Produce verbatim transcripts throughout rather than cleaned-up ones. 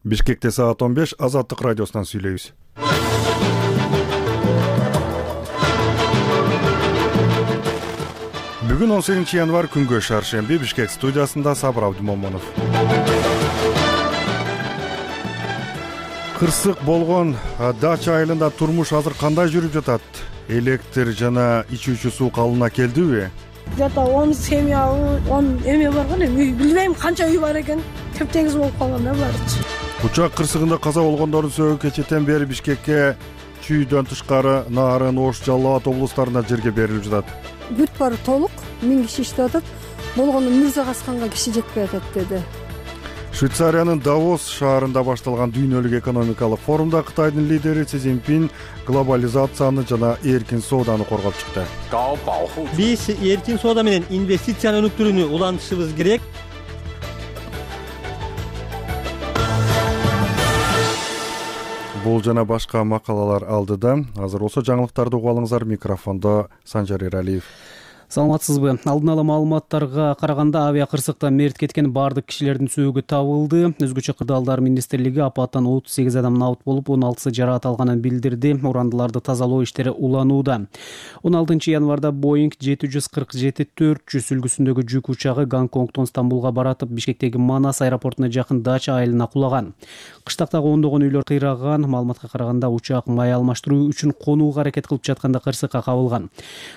Бишкекте саат он беш, Азаттык радиосунан сүйлөйбүз. Бүгүн он сегизинчи январь күнгө шаршемби, Бишкек студиясында Сабыр Абдымомунов. Кырсык болгон дача айылында турмуш азыр кандай жүрүп жатат? Электр жана ичүүчү суу калыбына келдиби? Где-то он семья, он эме бар го, билбейм канча үй бар экен. Тептеңиз болуп калган да баарычы. Учак кырсыгында каза болгондордун сөөгү кечэтен бери Бишкекке чүйдөн тышкары Нарын, Ош, Жалал Абад облустарына жерге берилип жатат. Бүт баары толук, миң киши иштеп атат. Болгону Мырза Касканга киши жетпей атат деди. Швейцариянын Давос шаарында башталган дүйнөлүк экономикалык форумда Кытайдын лидери Си Цзиньпин глобализацияны жана эркин сооданы коргоп чыкты. Биз эркин соода менен инвестицияны өнүктүрүүнү улантышыбыз керек. Бул жана башка макалалар алдыда. Азыр болсо жаңылыктарды угуп алыңыздар. Микрофондо Санжар Эралиев. Саламатсызбы? Алдын ала маалыматтарга караганда авиа кырсыкта мерт кеткен бардык кишилердин сөөгү табылды. Өзгөчө Кырдаалдар министрлиги апаттан отуз сегиз адам набыт болуп, он алтысы жаракат алганын билдирди. Урандыларды тазалоо иштери уланууда. он алтынчы январда Боинг жети жүз кырк жети төрт жүз үлгүсүндөгү жүк учагы Гонконгдон Стамбулга баратып, Бишкектеги Манас аэропортуна жакын дача айылына кулаган. Кыштактагы ондогон үйлөр кыйраган. Маалыматка караганда учак май алмаштыруу үчүн конууга аракет кылып жатканда кырсыкка кабылган.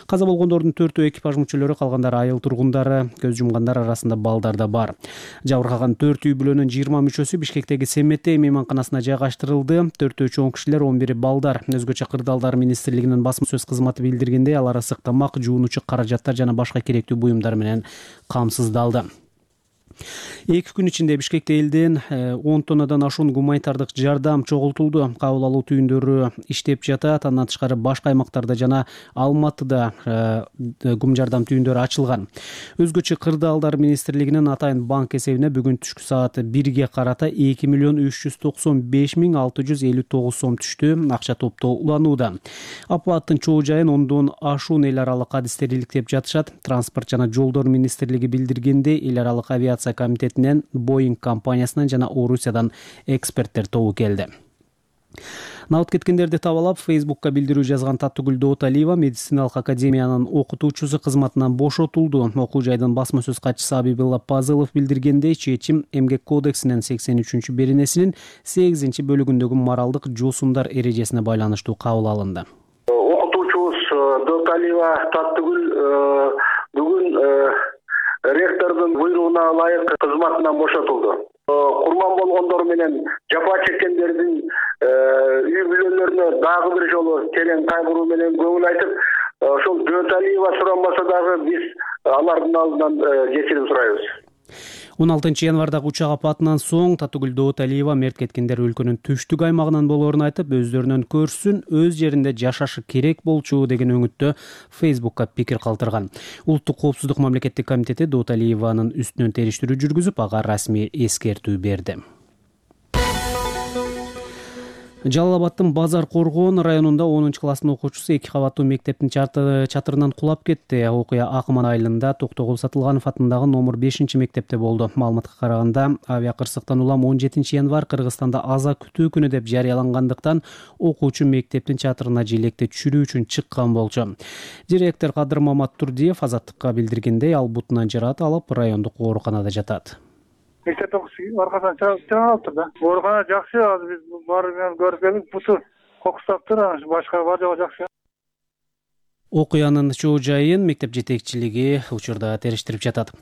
Каза болгондордун төртөө экипаж мүчөлөрү, калгандары айыл тургундары, көз жумгандар арасында балдар да бар. Жабыркаган төрт үй бүлөнүн жыйырма мүчөсү Бишкектеги Семетей мейманканасына жайгаштырылды. Төртөө чоң кишилер, он бири балдар. Өзгөчө Кырдаалдар министрлигинин басма сөз кызматы билдиргендей, алар ысык тамак, жуунуучу каражаттар жана башка керектүү буюмдар менен камсыздалды. Эки күн ичинде Бишкекте элден он тоннадан ашуун гуманитардык жардам чогултулду. Кабыл алуу түйүндөрү иштеп жатат. Андан тышкары башка аймактарда жана Алматыда гум жардам түйүндөрү ачылган. Өзгөчө Кырдаалдар министрлигинин Атайын банк эсебине бүгүн түшкү саат бирге карата эки миллион үч жүз токсон беш миң алты жүз элүү тогуз сом түштү. Акча топтоо уланууда. Апаттын чоо жайын ондон ашуун эл аралык адистер иликтеп жатышат. Транспорт жана жолдор министрлиги билдиргенде, эл аралык авиация комитетинен, Боинг компаниясынан жана Орусиядан эксперттер тобу келди. Набыт кеткендерди табалап, Фейсбукка билдирүү жазган Таттыгүл Дооталиева медициналык академиянын окутуучусу кызматынан бошотулду. Окуу жайдын басма сөз катчысы Абибилла Пазылов билдиргендей, чечим Эмгек кодексинин сексен үчүнчү беренесинин сегизинчи бөлүгүндөгү моралдык жоосумдар эрежесине байланыштуу кабыл алынды. Окутуучубуз Дооталиева Таттыгүл бүгүн ректордун буйругуна ылайык кызматынан бошотулду. Курман болгондор менен жапа чеккендердин үй бүлөлөрүнө дагы бир жолу терең кайгыруу менен көңүл айтып, ошол Дооталиева суранбаса дагы биз алардын алдынан кечирим сурайбыз. он алтынчы январдагы учак апатынан соң Таттыгүл Дооталиева мерт кеткендер өлкөнүн түштүк аймагынан болоорун айтып, өздөрүнөн көрсүн, өз жеринде жашашы керек болчу деген өңүттө Фейсбукка пикир калтырган. Улуттук коопсуздук мамлекеттик комитети Дооталиеванын үстүнөн териштирүү жүргүзүп, ага расмий эскертүү берди. Жалал Абадтын Базар Коргоон районунда онунчу класстын окуучусу эки кабаттуу мектептин чатырынан кулап кетти. Окуя Акман айылында Токтогул Сатылганов атындагы номер бешинчи мектепте болду. Маалыматка караганда, авиа кырсыктан улам он жетинчи январь Кыргызстанда аза күтүү күнү деп жарыялангандыктан окуучу мектептин чатырына желекти түшүрүү үчүн чыккан болчу. Директор Кадыр Мамат Турдиев Азаттыкка билдиргендей, ал бутунан жаракат алып, райондук ооруканада жатат. Мектеп окуучусу аркасынан чыгып алыптыр да. Оорукана жакшы, азыр биз барып менен көрүп келдик, буту кокустаптыр, башка бар жагы жакшы. Окуянын чоо жайын мектеп жетекчилиги учурда териштирип жатат.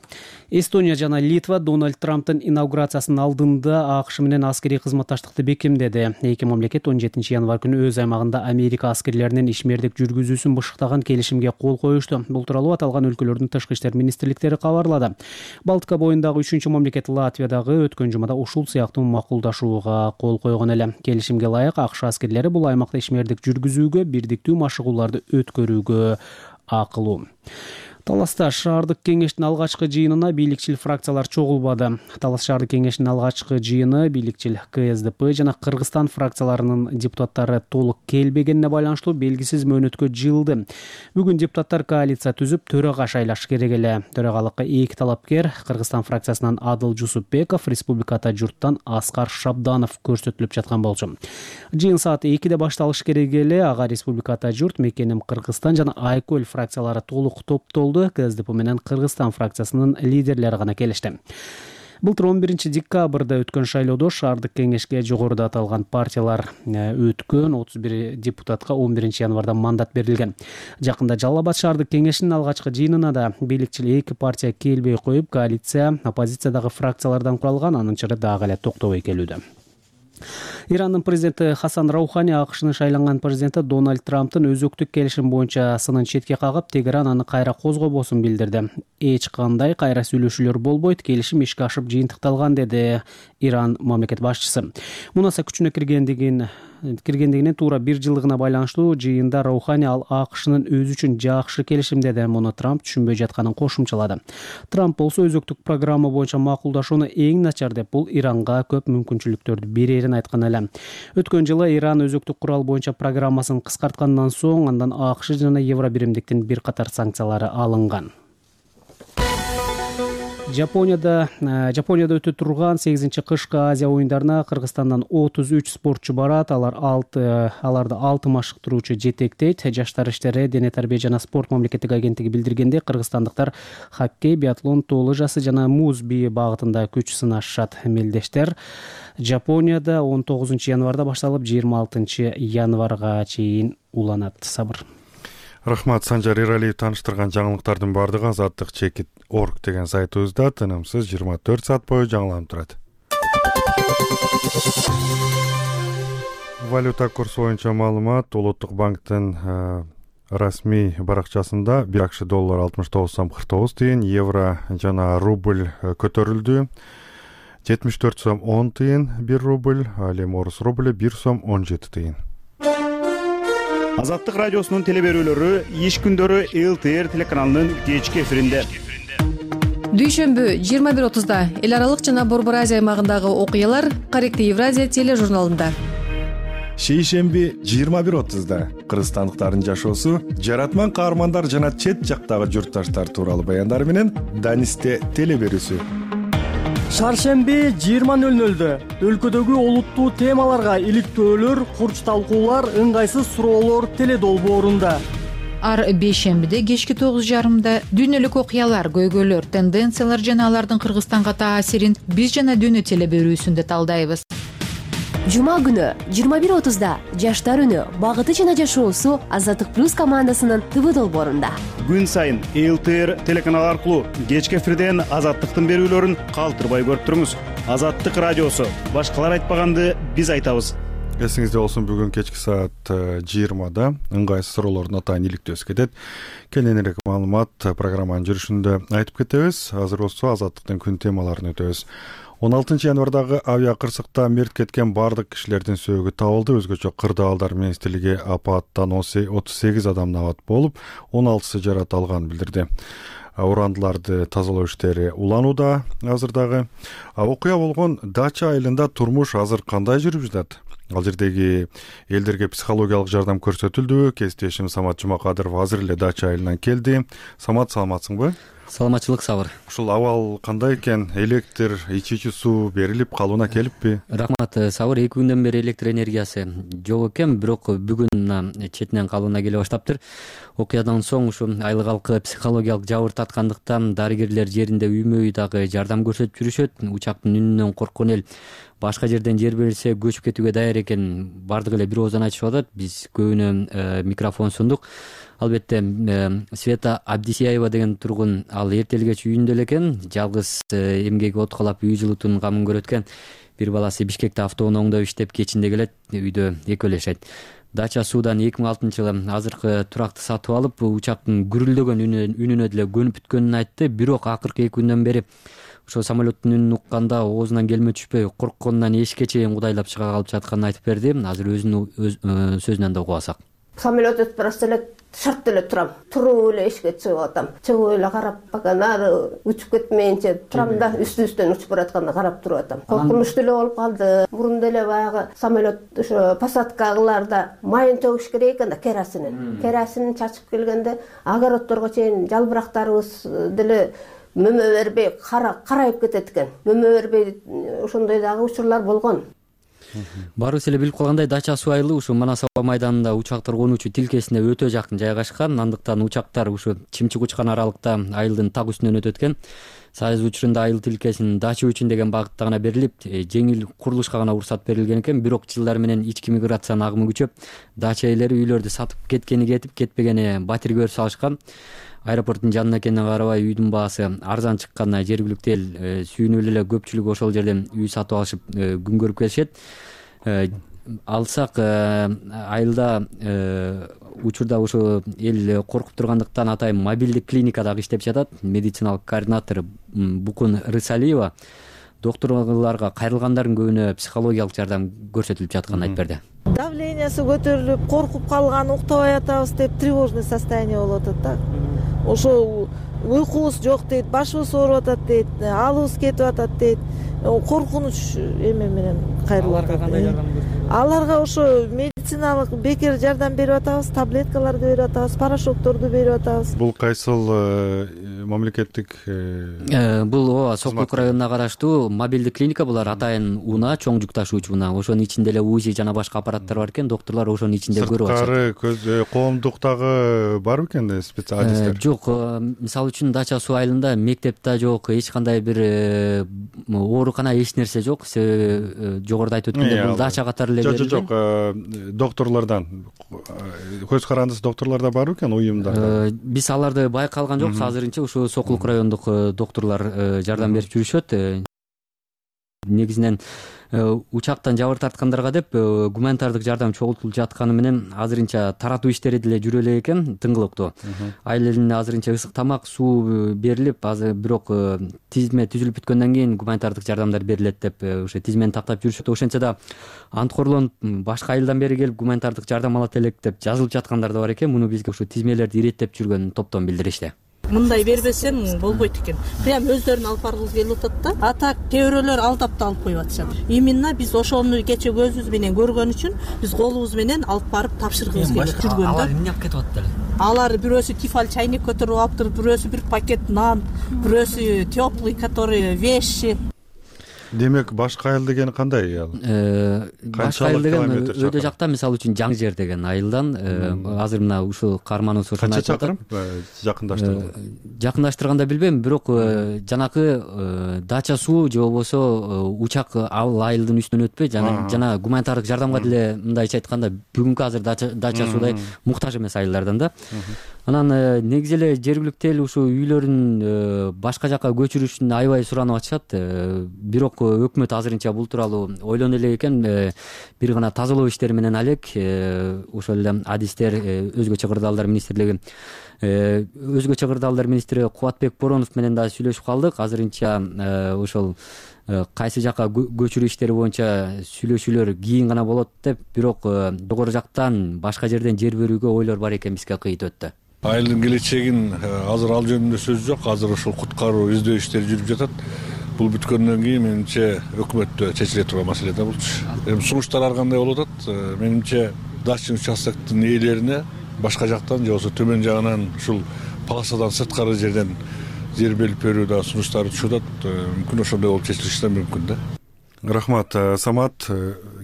Эстония жана Литва Дональд Трамптын инаугурациясынын алдында АКШ менен аскерий кызматташтыкты бекемдеди. Эки мамлекет он жетинчи январь күнү өз аймагында Америка аскерлеринин ишмердик жүргүзүүсүн бышыктаган келишимге кол коюшту. Бул тууралуу аталган өлкөлөрдүн тышкы иштер министрликтери кабарлады. Балтика боюндагы үчүнчү мамлекет Латвия дагы өткөн жумада ушул сыяктуу макулдашууга кол койгон эле. Келишимге ылайык АКШ аскерлери бул аймакта ишмердик жүргүзүүгө, бирдиктүү машыгууларды өткөрүүгө акылуу. Таласта шаардык кеңештин алгачкы жыйынына бийликчил фракциялар чогулбады. Талас шаардык кеңешинин алгачкы жыйыны бийликчил ка эс дэ пэ жана Кыргызстан фракцияларынын депутаттары толук келбегенине байланыштуу белгисиз мөөнөткө жылды. Бүгүн депутаттар коалиция түзүп төрага шайлаш керек эле. Төрагалыкка эки талапкер Кыргызстан фракциясынан Адыл Жусупбеков, Республика Ата журттан Аскар Шабданов көрсөтүлүп жаткан болчу. Жыйын саат экиде башталыш керек эле. Ага Республика Ата журт, Мекеним Кыргызстан жана Айкөл фракциялары толук топтолду. ка эс дэ пэ менен Кыргызстан фракциясынын лидерлери гана келишти. Былтыр он биринчи декабрда өткөн шайлоодо шаардык кеңешке жогоруда аталган партиялар өткөн отуз бир депутатка он биринчи январда мандат берилген. Жакында Жалал Абад шаардык кеңешинин алгачкы жыйынына да бийликчил эки партия келбей коюп, коалиция оппозициядагы фракциялардан куралган, анын чыры дагы эле токтобой келүүдө. Ирандын президенти Хасан Раухани АКШнын шайланган президенти Дональд Трамптын өзөктүк келишим боюнча сынын четке кагып, Тегеран аны кайра козгобосун билдирди. Эч кандай кайра сүйлөшүүлөр болбойт, келишим ишке ашып жыйынтыкталган, деди Иран мамлекет башчысы. Мунаса күчүнө киргендигин киргендигинин туура бир жылдыгына байланыштуу жыйында Раухани ал АКШнын өзү үчүн жакшы келишим деди. Муну Трамп түшүнбөй жатканын кошумчалады. Трамп болсо өзөктүк программа боюнча макулдашууну эң начар деп, бул Иранга көп мүмкүнчүлүктөрдү берерин айткан эле. Өткөн жылы Иран өзөктүк курал боюнча программасын кыскарткандан соң андан АКШ жана Евробиримдиктин бир катар санкциялары алынган. Жапонияда Жапонияда өтө турган сегизинчи кышкы Азия оюндарына Кыргызстандан отуз үч спортчу барат. Алар алты аларды алты машыктыруучу жетектейт. Жаштар иштери, дене тарбия жана спорт мамлекеттик агенттиги билдиргенде, кыргызстандыктар хоккей, биатлон, тоо лыжасы жана муз бии багытында күч сынашышат. Мелдештер Жапонияда он тогузунчу январда башталып, жыйырма алтынчы январга чейин уланат. Сабыр. Рахмат, Санжар Иралиев тааныштырган жаңылыктардын баардыгы азаттык чекит орг деген сайтыбызда тынымсыз жыйырма төрт саат бою жаңыланып турат. Валюта курсу боюнча маалымат Улуттук банктын расмий баракчасында бир акш доллар алтымыш тогуз сом кырк тогуз тыйын, евро жана рубль көтөрүлдү. жетимиш төрт сом он тыйын бир рубль, ал эми орус рубль бир сом он жети тыйын. Азаттык радиосунун телеберүүлөрү иш күндөрү эл тэ эр телеканалынын кечки эфиринде. Дүйшөмбү жыйырма бир отузда эл аралык жана Борбор Азия аймагындагы окуялар Корректив Евразия тележурналында. Шейшемби жыйырма бир отузда кыргызстандыктардын жашоосу, жаратман каармандар жана чет жактагы журтташтар тууралуу баяндар менен Данисте телеберүүсү. Шаршемби жыйырма нөл нөлдө өлкөдөгү олуттуу темаларга иликтөөлөр, курч талкуулар, ыңгайсыз суроолор теледолбоорунда. Ар бейшембиде кечки тогуз жарымда дүйнөлүк окуялар, көйгөйлөр, тенденциялар жана алардын Кыргызстанга таасирин биз жана дүйнө телеберүүсүндө талдайбыз. Жума күнү жыйырма бир отузда Жаштар үнү, багыты жана жашоосу Азаттык плюс командасынын тэ вэ долбоорунда. Күн сайын эл тэ эр телеканалы аркылуу кечки эфирден Азаттыктын берүүлөрүн калтырбай көрүп туруңуз. Азаттык радиосу, башкалар айтпаганды биз айтабыз. Эсиңизде болсун, бүгүн кечки саат жыйырмада ыңгайсыз суроолордун атайын иликтөөсү кетет. Кененирээк маалымат программанын жүрүшүндө айтып кетебиз. Азыр болсо Азаттыктын күн темаларын өтөбүз. он алтынчы январдагы авиа кырсыкта мерт кеткен бардык кишилердин сөөгү табылды. Өзгөчө Кырдаалдар министрлиги апаттан отуз сегиз адам абат болуп, он алтысы жарат алганын билдирди. Урандыларды тазалоо иштери уланууда азырдагы. Окуя болгон Дача айылында турмуш азыр кандай жүрүп жатат? Ал жердеги элдерге психологиялык жардам көрсөтүлдүбү? Кесиптешим Самат Жумакадыров азыр эле Дача айылынан келди. Самат, саламатсыңбы? Саламатчылык, Сабыр. Ушул абал кандай экен? Электр, ичүүчү суу берилип калууна келиппи? Рахмат, Сабыр. эки күндөн бери электр энергиясы жок экен, бирок бүгүн четинен калууна келе баштаптыр. Окуядан соң ушу айыл калкы психологиялык жабыр таткандыктан дарыгерлер жеринде үймө үй дагы жардам көрсөтүп жүрүшөт. Учактын үнүнөн корккон эл башка жерден жер берилсе көчүп кетүүгө даяр экен. Бардык эле бир ооздан айтышып атат. Биз көбүнө микрофон сундук. Албетте Света Абдисияева деген тургун, ал эртелгеч үйүндө эле экен, жалгыз эмгеги откалап үй жылытуунун камын көрөт экен. Бир баласы Бишкекте автоунааңда иштеп, кечинде келет, үйдө экөө жашайт. Дача суудан эки миң алтынчы жылы азыркы туракты сатып алып, учактын гүрүлдөгөн үнүнө деле көнүп бүткөнүн айтты. Бирок акыркы эки күндөн бери ошо самолеттин үнүн укканда оозунан келме түшпөй, коркконунан эшикке чейин кудайлап чыга калып жатканын айтып берди. Азыр өзүнүн сөзүнөн да угуп алсак. Самолет өтүп барат элек, шарт эле турам, туруп эле эшикке чыгып атам. Чыгып эле карап бакан ары учуп кетмейинче турам да, үстү-үстөн учуп баратканда карап туруп атам. Коркунучтуу эле болуп калды. Мурунда эле баягы самолет ошо посадкаларда майын төгүш керек экен да, керосинин. Керосинин чачып келгенде огородторго чейин жалбырактарыбыз деле мөмө бербей карайып кетет экен. Мөмө бербей ошондой дагы учурлар болгон. Баарыбыз эле билип калгандай, Дача суу айылы ушу Манас аба майданында учактар конуучу тилкесине өтө жакын жайгашкан. Андыктан учактар ушу чымчык учкан аралыкта айылдын так үстүнөн өтөт экен. Сайыз учурунда айыл тилкесин дача үчүн деген багытта гана берилип, жеңил курулушка гана уруксат берилген экен. Бирок жылдар менен ички миграциянын агымы күчөп, дача ээлери үйлөрдү сатып кеткени кетип, кетпегени батирге өрүп салышкан. Аэропорттун жанына экенине карабай үйдүн баасы арзан чыкканына жергиликтүү эл сүйүнүп эле көпчүлүк ошол жерден үй сатып алышып күн көрүп келишет. Алсак айылда учурда ушу эл коркуп тургандыктан атайын мобилдик клиника дагы иштеп жатат. Медициналык координатор Букун Рысалиева докторлорго кайрылгандардын көбүнө психологиялык жардам көрсөтүлүп жатканын айтып берди. Давлениясы көтөрүлүп, коркуп калган, уктабай атабыз деп тревожный состояние болуп атат да. Ошо уйкубуз жок дейт, башыбыз ооруп атат дейт, алыбыз кетип атат дейт. Коркунуч эме менен кайрылып атат. Аларга кандай жардам көрсөтөт? Аларга ошо медициналык бекер жардам берип атабыз, таблеткаларды берип атабыз, порошокторду берип атабыз. Бул кайсыл мамлекеттик? Бул ооба Сокулук районуна караштуу мобилдик клиника. Булар атайын унаа, чоң жүк ташуучу унаа. Ошонун ичинде эле УЗИ жана башка аппараттар бар экен. Доктурлар ошонун ичинде көрүп атышат. Сырткары көз коомдуктагы барбы экен специалисттер? Жок, мисалы үчүн Дача суу айылында мектеп да жок, эч кандай бир оорукана эч нерсе жок. Жогоруда айтып өткөндөй бул дача катары эле берилген. Жок, жок, доктурлардан көз карандысы доктурларда барбы экен уюмда? Биз аларды байкалган жокпуз. Азырынча ушу Сокулук райондук доктурлар жардам берип жүрүшөт. Негизинен учактан жабыр тарткандарга деп гуманитардык жардам чогултулуп жатканы менен азырынча таратуу иштери деле жүрө элек экен тыңгылыктуу. Айыл элине азырынча ысык тамак, суу берилип, азыр бирок тизме түзүлүп бүткөндөн кийин гуманитардык жардамдар берилет деп ошо тизмени тактап жүрүшөт. Ошентсе да анткорлонуп башка айылдан бери келип гуманитардык жардам алат элек деп жазылып жаткандар да бар экен. Муну бизге ушу тизмелерди иреттеп жүргөн топтон билдиришти. Мындай бербесем болбойт экен. Прям өздөрүн алып баргысы келип атат да. Ата кээ-бирөөлөр алдап да алып коюп атышат. Именно биз ошону кече көзүбүз менен көргөн үчүн биз колубуз менен алып барып тапшыргыбыз келип жүргөн да. Алар эмне алып кетип атат эле? Алар бирөөсү тефаль чайник көтөрүп алыптыр, бирөөсү бир пакет нан, бирөөсү теплый, который вещи. Демек башка айыл деген кандай ал? Башка айыл деген өйдө жакта, мисалы үчүн Жаң жер деген айылдан азыр мына ушул каарманыбыз ошону айтып атат. Канча чакырым жакындаштырды? Жакындаштырганда билбейм, бирок жанакы Дача суу же болбосо учак ал айылдын үстүнөн өтпөй, жана жана гуманитардык жардамга деле мындайча айтканда бүгүнкү азыр Дача суудай муктаж эмес айылдардан да. Анан негизи эле жергиликтүү эл ушул үйлөрүн башка жака көчүрүшүн аябай суранып атышат. Бирок өкмөт азырынча бул тууралуу ойлону элек экен. Бир гана тазалоо иштери менен алек. Ошол эле адистер, өзгөчө кырдаалдар министрлиги, өзгөчө кырдаалдар министри Кубатбек Боронов менен да сүйлөшүп калдык. Азырынча ошол кайсы жака көчүрүү иштери боюнча сүйлөшүүлөр кийин гана болот деп, бирок жогору жактан башка жерден жер берүүгө ойлор бар экен, бизге кыйыт өттү. Айылдын келечегин азыр ал жөнүндө сөз жок. Азыр ошол куткаруу, издөө иштери жүрүп жатат. Бул бүткөндөн кийин менимче өкмөттө чечиле турган маселе да булчу. Эми сунуштар ар кандай болуп атат? Менимче дачный участоктун ээлерине башка жактан же болбосо төмөн жагынан ушул полосадан сырткары жерден жер берип берүү да сунуштары түшүп атат. Мүмкүн ошондой болуп чечилиши да мүмкүн да. Рахмат, Самат.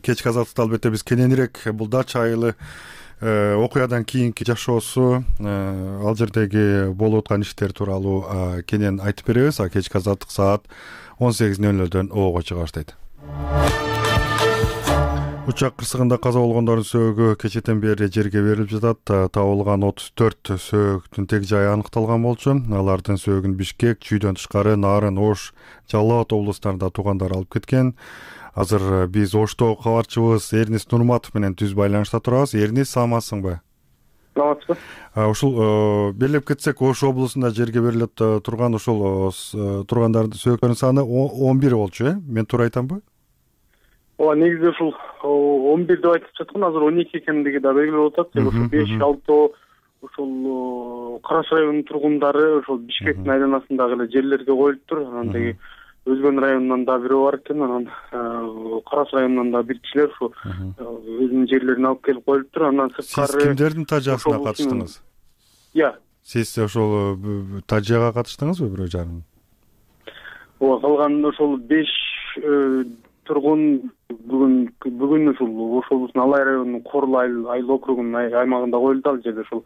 Кечки азаттыкта албетте биз кененирээк бул Дача айылы окуядан кийинки жашоосу, ал жердеги болуп аткан иштер тууралуу кенен айтып беребиз. Кечки азаттык саат он сегиз нөл нөлдөн оого чыга баштайт. Учак кырсыгында каза болгондордун сөөгү кечэтен бери жерге берилип жатат. Табылган отуз төрт сөөгүн тег жайы аныкталган болчу. Алардын сөөгүн Бишкек, Чүйдөн тышкары Нарын, Ош, Жалал Абад облустарында туугандары алып кеткен. Азыр биз Оштогу кабарчыбыз Эрнис Нурматов менен түз байланышта турабыз. Эрнис, саламатсыңбы? Саламатсызбы. Ушул белгилеп кетсек, Ош облусунда жерге берилип турган ушул тургандардын сөөгүнүн саны он бир болчу, э? Мен туура айтамбы? Ооба, негизи ушул он бир деп айтып жаткан, азыр он эки экендиги да белгилүү болуп атат. Ошо беш алты ошол Кара Суу районунун тургундары ошол Бишкектин айланасындагы эле жерлерге коюлуптур. Анан деги Өзгөн районунан да бирөө бар экен, анан Кара Суу районунан да бир кишилер ушу өзүнүн жерлерине алып келип коюлуптур. Андан сырткары сиз кимдердин тажыясына катыштыңыз? Иә. Сиз ошол тажыяга катыштыңызбы бирөө жарым? Ооба, калган ошол беш тургун бүгүн бүгүн ушул ошолбуздун Алай районунун Корул айыл округунун аймагында коюлду. Ал жерде ушул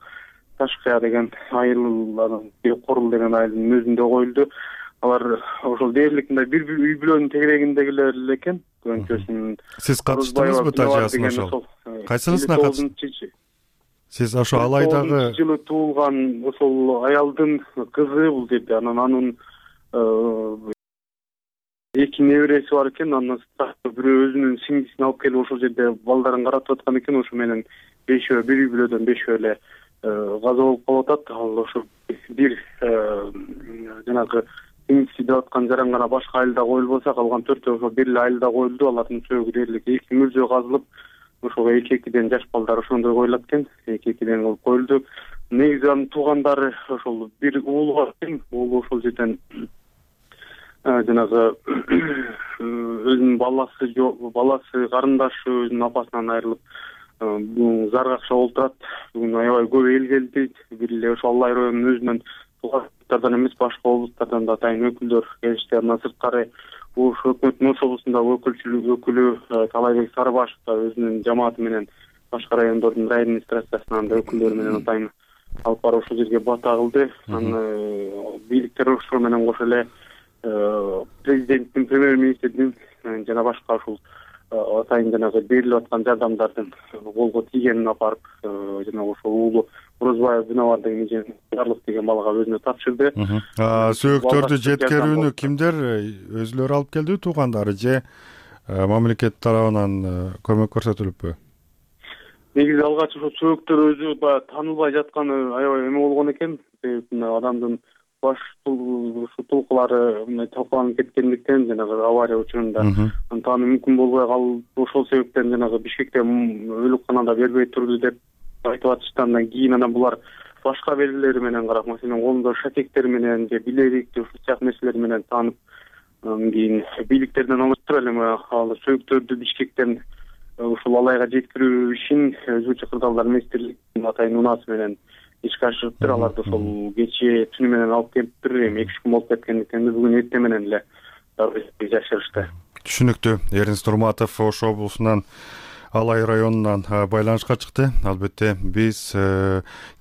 Ташкая деген айыл, Корул деген айылдын өзүндө коюлду. Алар ошол дээрлик мындай бир үй бүлөнүн тегерегиндегилер эле экен. Көңкөсүн. Сиз катыштыңызбы тажыясына ошол? Кайсынысына катыштыңыз? Сиз ошо Алайдагы жылы туулган ошол аялдын кызы бул жерде. Анан анын эки небереси бар экен. Андан бирөө өзүнүн сиңдисин алып келип ошол жерде балдарын каратып аткан экен. Ошо менен бешөө бир үй бүлөдөн бешөө эле каза болуп калып атат. Ал ошо бир жанагы сиңдиси деп аткан жаран гана башка айылда коюлбаса, калган төртөө ошо бир эле айылда коюлду. Алардын сөөгү дээрлик эки мүрзө казылып, ошого эки-экиден жаш балдар ошондой коюлат экен. эки-экиден кылып коюлду. Негизи анын туугандары ошол бир уулу бар экен. Уулу ошол жерден жанагы өзүнүн баласы баласы карындашы өзүнүн апасынан айрылып заргакша олтурат. Бүгүн аябай көп эл келди. Бир эле ошол Алай районунун өзүнөн туугандардан эмес, башка облустардан да атайын өкүлдөр келишти. Андан сырткары Ош өкмөтүнүн Ош облусундагы өкүлчүлүк өкүлү Талайбек Сарыбашев да өзүнүн жамааты менен башка райондордун район администрациясынан да өкүлдөрү менен атайын алып барып ошол жерге бата кылды. Анан бийликтер ошол менен кошо эле президенттин, премьер-министрдин жана башка ушул атайын жанагы берилип аткан жардамдардын колго тийгенин алып барып жанагы ошол уулу Орозбаев Динабар деген Жарлык деген балага өзүнө тапшырды. Сөөктөрдү жеткирүүнү кимдер өзүлөрү алып келди, туугандары же мамлекет тарабынан көмөк көрсөтүлүппү? Негизи алгач ошо сөөктөр өзү баягы таанылбай жатканы аябай эме болгон экен. Адамдын баш тулкулары мындай талкаланып кеткендиктен жанагы авария учурунда таануу мүмкүн болбой калып, ошол себептен жанагы Бишкекте өлүкканада бербей турду деп айтып атышты. Андан кийин анан булар башка белгилери менен карап, маселен колунда шатектер менен же билерик ушул сыяктуу нерселер менен таанып, анан кийин бийликтерден алыштырып эле ал сөөктөрдү Бишкектен ушул Алайга жеткирүү ишин өзгөчө кырдаалдар министрлигинин атайын унаасы менен ишке ашырыптыр. Аларды ошол кечээ түнү менен алып келиптир. Эми эки үч күн болуп кеткендиктен бүгүн эртең менен эле жашырышты. Түшүнүктүү. Эринс Турматов Ош облусунан Алай районунан байланышка чыкты. Албетте биз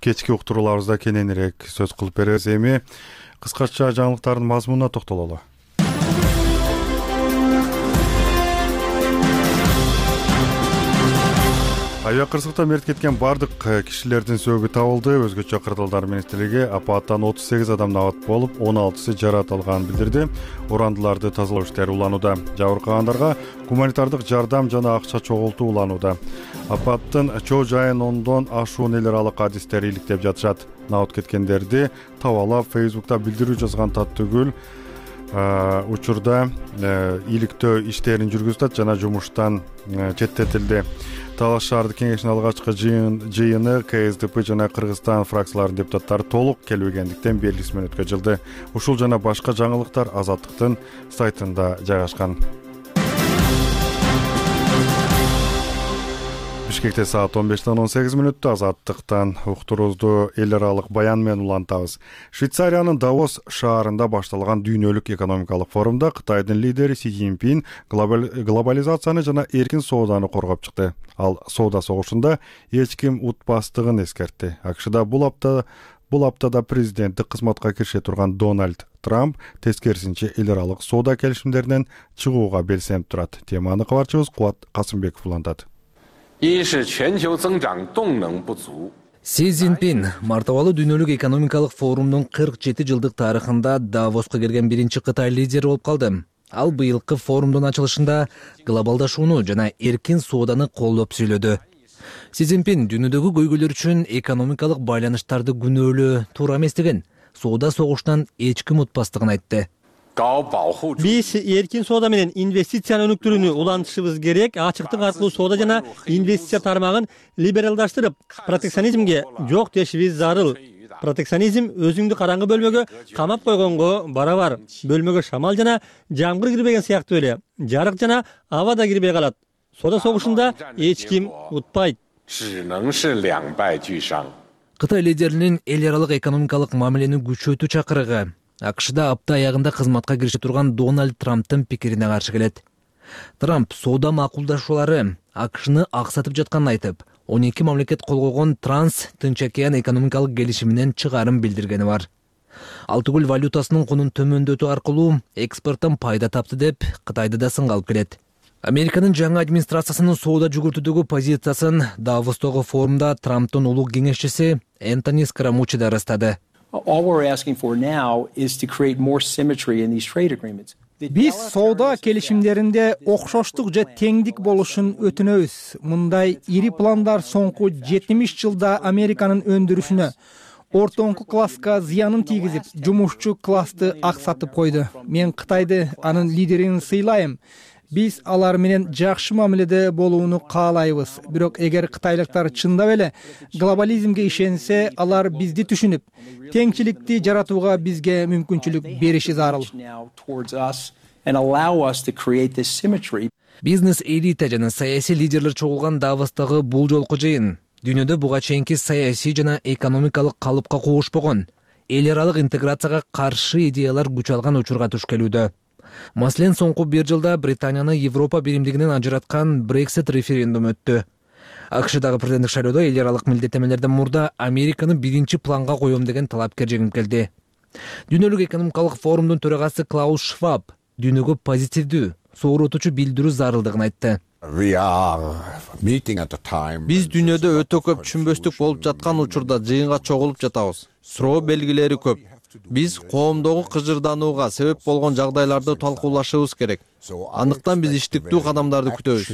кечки уктурууларыбызда кененирээк сөз кылып беребиз. Эми кыскача жаңылыктардын мазмунуна токтололу. Авиа кырсыкта мерт кеткен бардык кишилердин сөөгү табылды. Өзгөчө кырдаалдар министрлиги апаттан отуз сегиз адам абат болуп, он алтысы жаракат алганын билдирди. Урандыларды тазалоо иштери уланууда. Жабыркагандарга гуманитардык жардам жана акча чогултуу уланууда. Апаттын чоо жайын ондон ашуун эл аралык адистер иликтеп жатышат. Абат кеткендерди табалап Facebook'та билдирүү жазган Таттыгүл учурда иликтөө иштерин жүргүзүп жана жумуштан четтетилди. Талаш шаардык кеңешинин алгачкы жыйыны К С Д П жана Кыргызстан фракцияларынын депутаттары толук келбегендиктен белгисиз өткө жылды. Ушул жана башка жаңылыктар Азаттыктын сайтында жайгашкан. Бишкекте саат он бештен он сегиз мүнөттө Азаттыктан уктуруубузду эл аралык баян менен улантабыз. Швейцариянын Давос шаарында башталган дүйнөлүк экономикалык форумда Кытайдын лидери Си Цзиньпин глобализацияны жана эркин сооданы коргоп чыкты. Ал соода согушунда эч ким утпастыгын эскертти. АКШда бул апта бул аптада президенттик кызматка кирише турган Дональд Трамп тескерисинче эл аралык соода келишимдеринен чыгууга белсенип турат. Теманы кабарчыбыз Кубат Касымбеков улантат. Си Цзиньпин мартабалы дүйнөлүк экономикалык форумдун кырк жети жылдык тарыхында Давоска келген биринчи Кытай лидери болуп калды. Ал быйылкы форумдун ачылышында глобалдашууну жана эркин сооданы колдоп сүйлөдү. Си Цзиньпин дүйнөдөгү көйгөйлөр үчүн экономикалык байланыштарды күнөөлөө туура эместигин, соода согуштан эч ким утпастыгын айтты. биз эркин соода менен инвестициянын өнүктүрүүнү улантышыбыз керек. Ачыктык аркылуу соода жана инвестиция тармагын либералдаштырып, протекционизмге жок дешибиз зарыл. Протекционизм өзүңдү караңгы бөлмөгө камап койгонго барабар. Бөлмөгө шамал жана жамгыр кирбеген сыяктуу эле жарык жана аба да кирбей калат. Соода согушунда эч ким утпайт. Кытай лидеринин эл аралык экономикалык мамилени күчөтүү чакырыгы АКШда апта аягында кызматка кирише турган Дональд Трамптын пикирине каршы келет. Трамп соода макулдашуулары АКШны аксатып жатканын айтып, он эки мамлекет кол койгон Транс Тынч океан экономикалык келишиминен чыгарым билдиргени бар. Ал түгүл валютасынын кунун төмөндөтүү аркылуу экспорттон пайда тапты деп Кытайды да сынга алып келет. Американын жаңы администрациясынын соода жүгүртүүдөгү позициясын Давостогу форумда Трамптын улуг кеңешчиси Энтони Скарамуччи да ырастады. Биз соода келишимдеринде окшоштук же теңдик болушун өтүнөбүз. Мындай ири пландар соңку жетимиш жылда Американын өндүрүшүнө, ортоңку класска зыянын тийгизип, жумушчу классты аксатып койду. Мен Кытайды, анын лидерин сыйлайм. Биз алар менен жакшы мамиледе болууну каалайбыз. Бирок эгер кытайлыктар чындап эле глобализмге ишенсе, алар бизди түшүнүп, теңчиликти жаратууга бизге мүмкүнчүлүк бериши зарыл. Бизнес элита жана саясий лидерлер чогулган Давостогу бул жолку жыйын дүйнөдө буга чейинки саясий жана экономикалык калыпка куушпогон, эл аралык интеграцияга каршы идеялар күч алган учурга туш келүүдө. Маселен, соңку бир жылда Британияны Европа биримдигинен ажыраткан Brexit референдум өттү. АКШдагы президенттик шайлоодо эл аралык милдеттенмелерден мурда Американы биринчи планга коем деген талапкер жеңип келди. Дүйнөлүк экономикалык форумдун төрагасы Клаус Шваб дүйнөгө позитивдүү, сооротуучу билдирүү зарылдыгын айтты. Биз дүйнөдө өтө көп түшүнбөстүк болуп жаткан учурда жыйынга чогулуп жатабыз. Суроо белгилери көп. Биз коомдогу кыжырданууга себеп болгон жагдайларды талкуулашыбыз керек. Андыктан биз иштиктүү кадамдарды күтөбүз.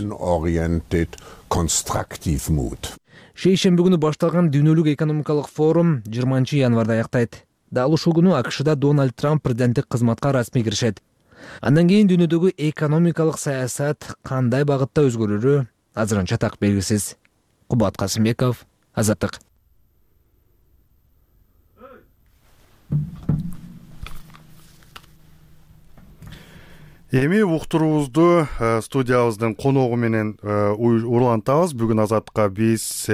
Шейшемби күнү башталган дүйнөлүк экономикалык форум жыйырманчы январда аяктайт. Дал ушул күнү АКШда Дональд Трамп президенттик кызматка расмий киришет. Андан кийин дүйнөдөгү экономикалык саясат кандай багытта өзгөрөрү азырынча так белгисиз. Кубат Касымбеков, Азаттык. Эми уктуруубузду студиябыздын коногу менен улантабыз. Бүгүн Азаттыкка биз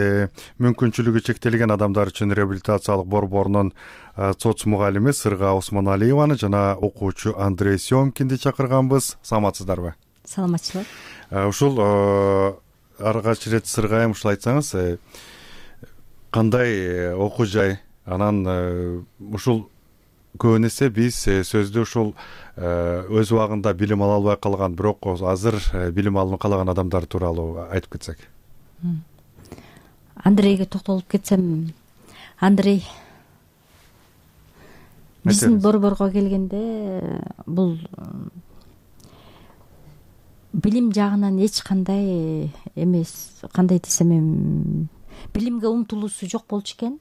мүмкүнчүлүгү чектелген адамдар үчүн реабилитациялык борборунун соц мугалими Сырга Осмоналиеваны жана окуучу Андрей Семкинди чакырганбыз. Саламатсыздарбы? Саламатчылык. Ушул аргач ирет Сыргайым, ушул айтсаңыз, кандай окуу жай? Анан ушул көбүн эсе биз сөздү ушул өз убагында билим ала албай калган, бирок азыр билим алууну каалаган адамдар тууралуу айтып кетсек. Андрейге токтолуп кетсем, Андрей биздин борборго келгенде бул билим жагынан эч кандай эмес, кандай десем эми, билимге умтулуусу жок болчу экен.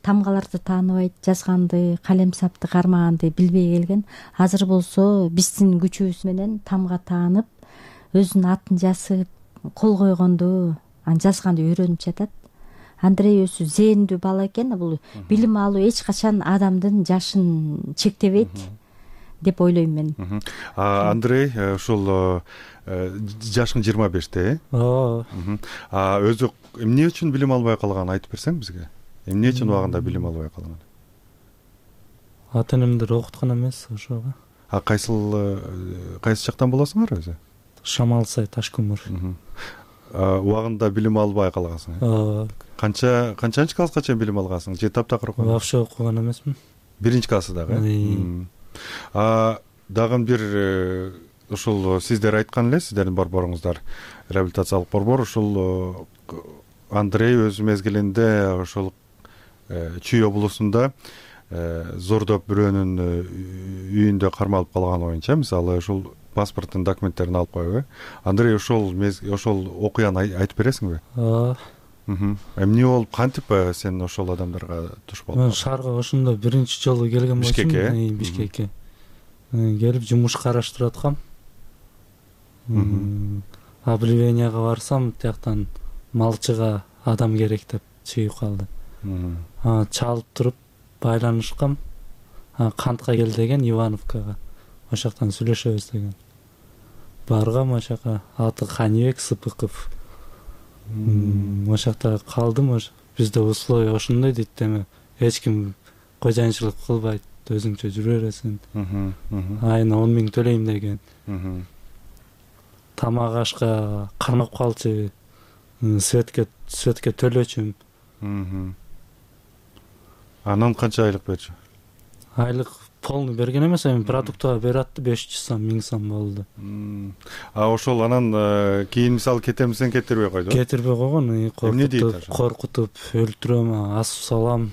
Тамгаларды тааныбайт, жазганды, калем сапты кармаганды билбей келген. Азыр болсо биздин күчүбүз менен тамга таанып, өзүнүн атын жазып, кол койгонду, аны жазганды үйрөнүп жатат. Андрей өзү зээндүү бала экен. Бул билим алуу эч качан адамдын жашын чектебейт деп ойлойм мен. Андрей ушул жашың жыйырма беште, э? Ооба. Өзү эмне үчүн билим албай калганын айтып берсең бизге? Эмне үчүн убагында билим албай калган? Ата энемдер окуткан эмес ошого. А кайсыл кайсы жактан болосуңар өзү? Шамалсай, Ташкөмүр. Убагында билим албай калгансың? Ооба. Канча канчанчы класска чейин билим алгансың? Же таптакыр окуган? Вообще окуган эмесмин. Биринчи классы дагы? А дагы бир ушул сиздер айткан эле, сиздердин борборуңуздар реабилитациялык борбор, ушул Андрей өз мезгилинде ошол Чүй облусунда зордоп бирөөнүн үйүндө кармалып калган оюнча, мисалы ушул паспорттун документтерин алып койбу. Андрей ошол ошол окуяны айтып бересиңби? Ооба. Эмне болуп, кантип сен ошол адамдарга туш болдуң? Мен шаарга ошондо биринчи жолу келген болчумун. Бишкекке? Бишкекке. келип жумуш караштырып аткам. Объявленияга барсам, тияктан малчыга адам керек деп чыгып калды. Чалып туруп байланышкам. Кантка кел деген, Ивановкага. Ошол жактан сүйлөшөбүз деген. Баргам ошол жака, аты Канибек Сыпыков. Ошол жакта калдым. Бизде условия ошондой дейт, эми эч ким кожоюнчулук кылбайт, өзүңчө жүрө бересиң. Айына он миң төлөйм деген. Тамак ашка кармап калчу, светке светке төлөчүм. Анан канча айлык берчү? Айлык полный берген эмес, эми продуктага берип атты, беш жүз сом, миң сом болду. А ошол анан кийин мисалы кетем десең кетирбей койду. Кетирбей койгон, коркутуп, коркутуп өлтүрөм, асып салам.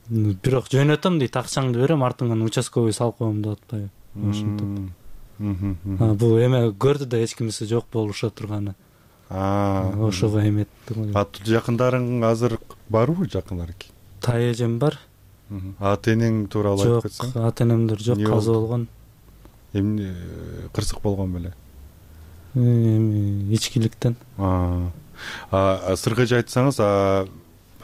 Бирок жөнөтөм дейт, акчаңды берем, артыңан участковый салып коем деп атпайбы. Ошентип. Бул эме көрдү да, эч кимиси жок болуша турганы. Ошого эметти. Ат жакындарың азыр барбы, жакындар? Тай эжем бар. Ата энең тууралуу айтып кетсең? Жок, ата энемдер жок, каза болгон. Эмне кырсык болгон беле? Эми ичкиликтен. А, сыргыжы айтсаңыз,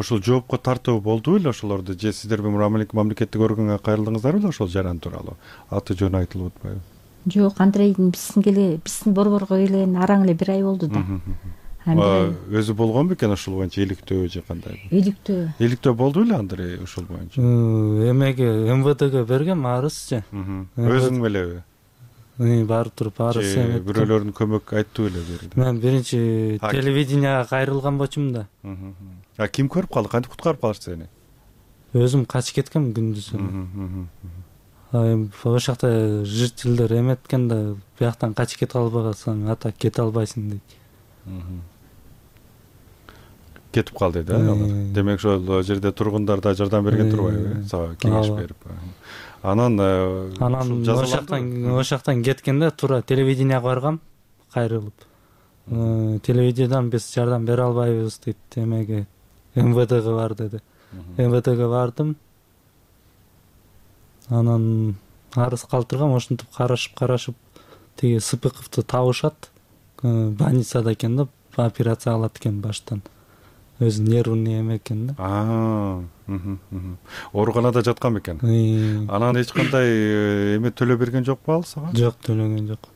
ошол жоопко тартуу болду беле ошолорду? Же сиздер мамлекеттик органга кайрылдыңыздар беле ошол жаран тууралуу? Аты жөнү айтылып атпайбы? Жок, Андрейдин биздин келе, биздин борборго келген араң эле бир ай болду да. Өзү болгон бекен ошол боюнча иликтөө же кандай? Иликтөө. Иликтөө болду беле Андрей ошол боюнча? Эмеге, эм вэ дëге бергем арызчы. Өзүң белеби? Барып туруп арыз эметtim. Бирөөлөрдүн көмөк айтты беле берди? Мен биринчи телевиденияга кайрылган болчумун да. А ким көрүп калды? Кантип куткарып калышты сени? Өзүм качып кеткем күндүз. Ошол жакта жителдер эметкен да, бияктан качып кете албасаң, ата кете албайсың дейт. Кетип калды да алар. Демек ошол жерде тургундар да жардам берген турбайбы? Сага кеңеш берип. Анан анан ошол жактан ошол жактан кеткенде туура телевиденияга баргам, кайрылып. Телевидениядан биз жардам бере албайбыз дейт, эмеге эм вэ дëге бар деди. эм вэ дëге бардым. Анан арыз калтыргам, ошентип карашып карашып тиги Сыпыковду табышат. Больницада экен да, операция кылат экен баштан. Өзү нервный эме экен да. А, ооруканада жаткан бекен. Анан эч кандай эме төлөп берген жокпу ал сага? Жок, төлөгөн жок.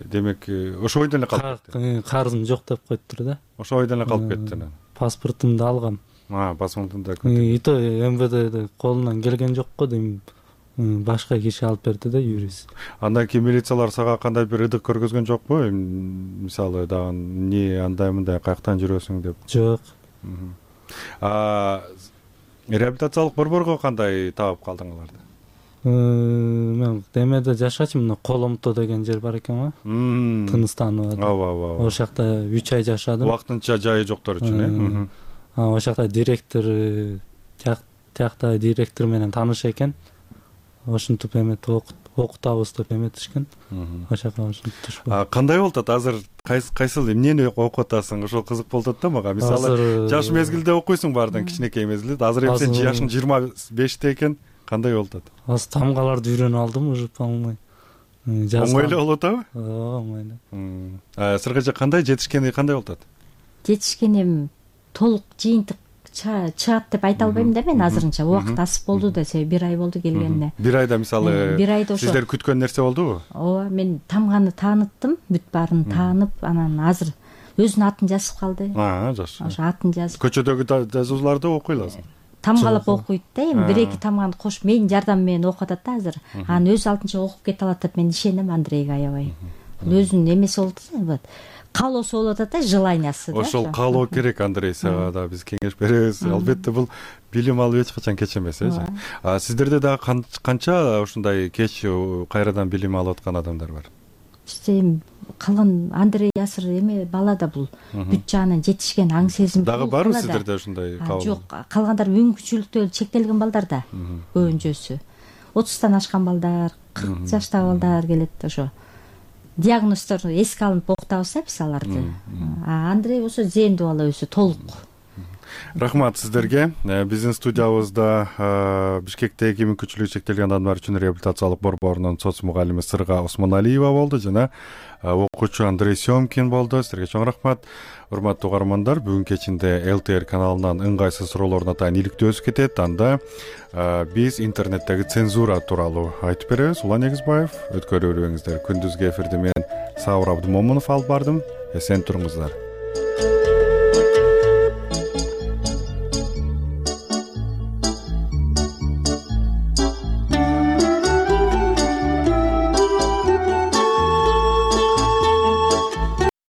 Демек, ошол бойдон эле калып кетти. Карызым жок деп коюптур да. Ошол бойдон эле калып кетти анан. Паспортумду алгам. А, паспортумду да. Ито эм вэ дэ колунан келген жок го дейм. Башка киши алып берди да, юрист. Андан кийин милициялар сага кандай бир ыдык көргөзгөн жокпу? Мисалы дагы эмне андай мындай каяктан жүрөсүң деп? Жок. А реабилитациялык борборго кандай таап калдың аларды? Мен демеде жашачумун, мына Коломто деген жер бар экен го. Тыныстаныбада. Ооба, ооба. Ошол жакта үч ай жашадым. Убактынча жайы жоктор үчүн, э? Ошол жакта директор, тиякта директор менен тааныш экен. Ошентип эмет окутабыз деп эметишкен. Ошол жака ошентип. А кандай болуп атат азыр? Кайсыл эмнени окуп атасың? Ошол кызык болуп атат да мага. Мисалы, жаш мезгилде окуйсуң баардан, кичинекей мезгилде. Азыр эми сен жашың жыйырма беште экен. Кандай болуп атат? Азыр тамгаларды үйрөнүп алдым, уже полный. Оңой эле болуп атабы? Ооба, оңой эле. А сыргыжа кандай жетишкени кандай болуп атат? Жетишкеним толук жыйынтык чыгат деп айта албайм да мен азырынча. Убакыт асып болду да, себеби бир ай болду келгенине. Бир айда мисалы сиздер күткөн нерсе болдубу? Ооба, мен тамганы тааныттым, бүт баарын таанып, анан азыр өзүнүн атын жазып калды. А, жакшы. Ошо атын жазып. Көчөдөгү жазууларды окуй аласың. Тамгалап окуйт да, эми бир эки тамганы кошуп менин жардамым менен окуп атат да азыр. Анан өзү алтынча окуп кете алат деп мен ишенем Андрейге аябай. Өзүнүн эмеси болду, вот. Каалоосу болуп атат да, желаниясы да. Ошол каалоо керек Андрей, сага да биз кеңеш беребиз. Албетте бул билим алып эч качан кеч эмес, э. А сиздерде дагы канча ушундай кеч кайрадан билим алып аткан адамдар бар? Эми калган Андрей Ясыр эме бала да бул бүт жагынан жетишкен аң сезим. Дагы барбы сиздерде ушундай кабыл? Жок, калгандар мүмкүнчүлүктөр чектелген балдар да. Көбүнчөсү отуздан ашкан балдар, кырк жаштагы балдар келет ошо. Диагноздор эске алынып окутабыз да биз аларды. А Андрей болсо зээндүү бала өзү толук. Рахмат сиздерге. Биздин студиябызда Бишкектеги мүмкүнчүлүгү чектелген адамдар үчүн реабилитациялык борборунун соц мугалими Сырга Осмоналиева болду жана окуучу Андрей Семкин болду. Силерге чоң рахмат. Урматтуу угармандар, бүгүн кечинде эл тэ эр каналынан ыңгайсыз суроолордун атайын иликтөө өтүп кетет. Анда биз интернеттеги цензура тууралуу айтып беребиз. Улан Эгизбаев, өткөрүп көрүңүздөр. Күндүзгү эфирди мен Сауыр Абдымомунов алып бардым. Эсен туруңуздар.